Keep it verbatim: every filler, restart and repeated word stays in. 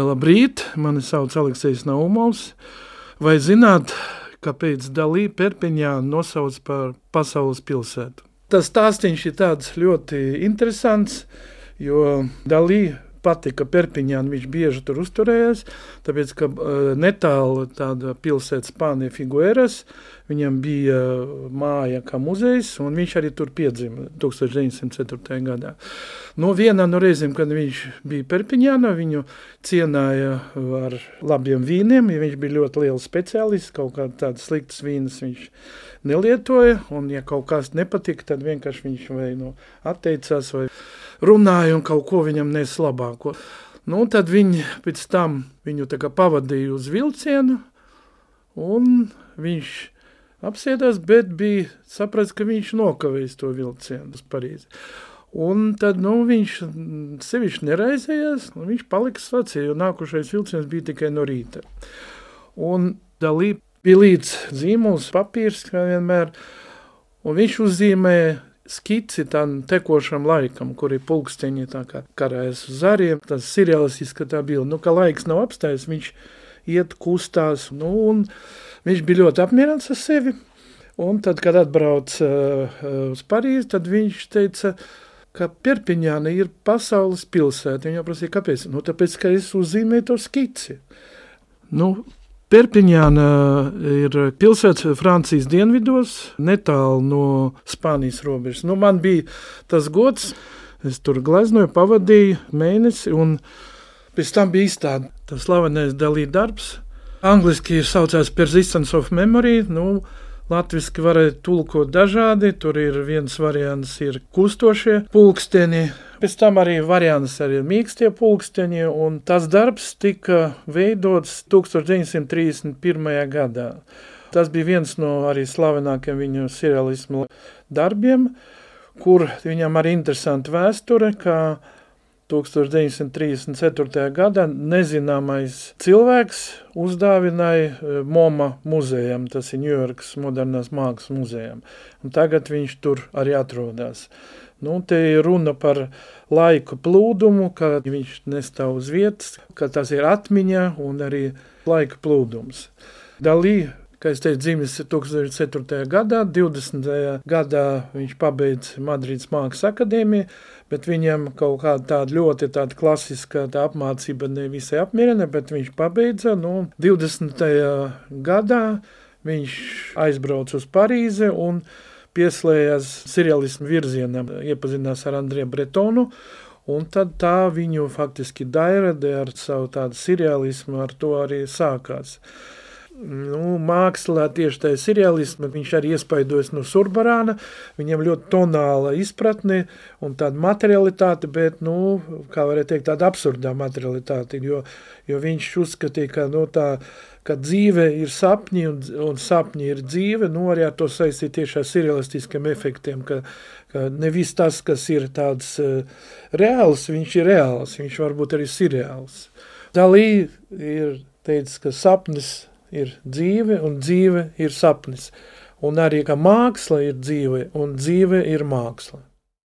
Labrīt, mani sauc Aleksejs Naumovs. Vai zināt, kāpēc Dalī Perpiņānu nosauc par pasaules pilsētu? Tas stāstīns ir tāds ļoti interesants, jo Dalī patika Perpiņānu, viņš bieži tur uzturējās, tāpēc, ka netālu tāda pilsēta Spānija Figueras, viņam bija māja kā muzejs, un viņš arī tur piedzima tūkstoš deviņsimt ceturtajā gadā. No vienā no reizēm, kad viņš bija Perpiņānā, viņu cienāja ar labiem vīniem, ja viņš bija ļoti liels speciālists, kaut kā tādas sliktas vīnas viņš nelietoja, un ja kaut kas nepatika, tad vienkārši viņš vai nu atteicās, vai runāja un kaut ko viņam nes labāko. Nu, tad viņi pēc tam viņu tā kā pavadīja uz vilcienu, un viņš apsēdās, bet bija saprats, ka viņš nokavēs to vilcienu uz Parīzi. Un tad, nu, viņš sevišķi neraizējās, un viņš palika staciju, jo nākušais vilciens bija tikai no rīta. Un Dalī bija līdz zīmols, papīrs, kā vienmēr, un viņš uzzīmēja skici tam tekošam laikam, kur ir pulksteņi tā kā karājas uz zariem, tas serialistiska tā bilde. Nu, ka laiks nav apstājis, viņš iet, kustās, nu, un viņš bija ļoti apmierināts ar sevi. Un tad, kad atbrauc uh, uz Parīzi, tad viņš teica, ka Perpiņāna ir pasaules pilsēta. Viņa prasīja, kāpēc? Nu, tāpēc, ka es uzzīmēju to skici. Nu, Perpiņāna ir pilsēta Francijas dienvidos, netālu no Spānijas robežas. Nu, man bija tas gods, es tur gleznoju, pavadīju mēnesi, un pēc tam bija izstāde. Tas slavenais Dalī darbs. Angliski ir saucās Persistence of Memory, nu, latviski varētu tulkot dažādi, tur ir viens variants ir kustošie pulksteni, pēc tam arī variants arī mīkstie pulksteņi, un tas darbs tika veidots tūkstoš deviņsimt trīsdesmit pirmajā gadā. Tas bija viens no arī slavenākiem viņu serialismu darbiem, kur viņam arī interesanti vēsture, ka tūkstoš deviņsimt trīsdesmit ceturtajā gadā nezināmais cilvēks uzdāvināja MoMA muzejam, tas ir Ņujorkas modernās mākslas muzejam, un tagad viņš tur arī atrodas. Nu, te ir runa par laiku plūdumu, ka viņš nestāv uz vietas, ka tas ir atmiņa un arī laika plūdums. Dalī, kā es teicu, dzimis tūkstoš deviņsimt ceturtajā gadā, divdesmitajā gadā viņš pabeidz Madrides Mākslas akadēmiju, bet viņam kaut kāda tāda ļoti tāda klasiska tā apmācība nevisai apmierina, bet viņš pabeidza, nu, divdesmitajā gadā viņš aizbrauc uz Parīzi un pieslējās serialismu virzienam, iepazinās ar Andriju Bretonu, un tad tā viņu faktiski dairade ar savu tādu serialismu, ar to arī sākās. Nu, mākslā tieši tā serialisma, viņš arī iespaidojas no Surbarāna, viņam ļoti tonāla izpratne un tāda materialitāte, bet, nu, kā varētu teikt, tāda absurdā materialitāte, jo, jo viņš uzskatīja, ka, nu, tā, ka dzīve ir sapņi un, un sapņi ir dzīve, nu, arī ar to saistīt tieši ar serialistiskiem efektiem, ka, ka nevis tas, kas ir tāds uh, reāls, viņš ir reāls, viņš varbūt arī seriāls. Dalī ir teicis, ka sapnis ir dzīve, un dzīve ir sapnis. Un arī, ka māksla ir dzīve, un dzīve ir māksla.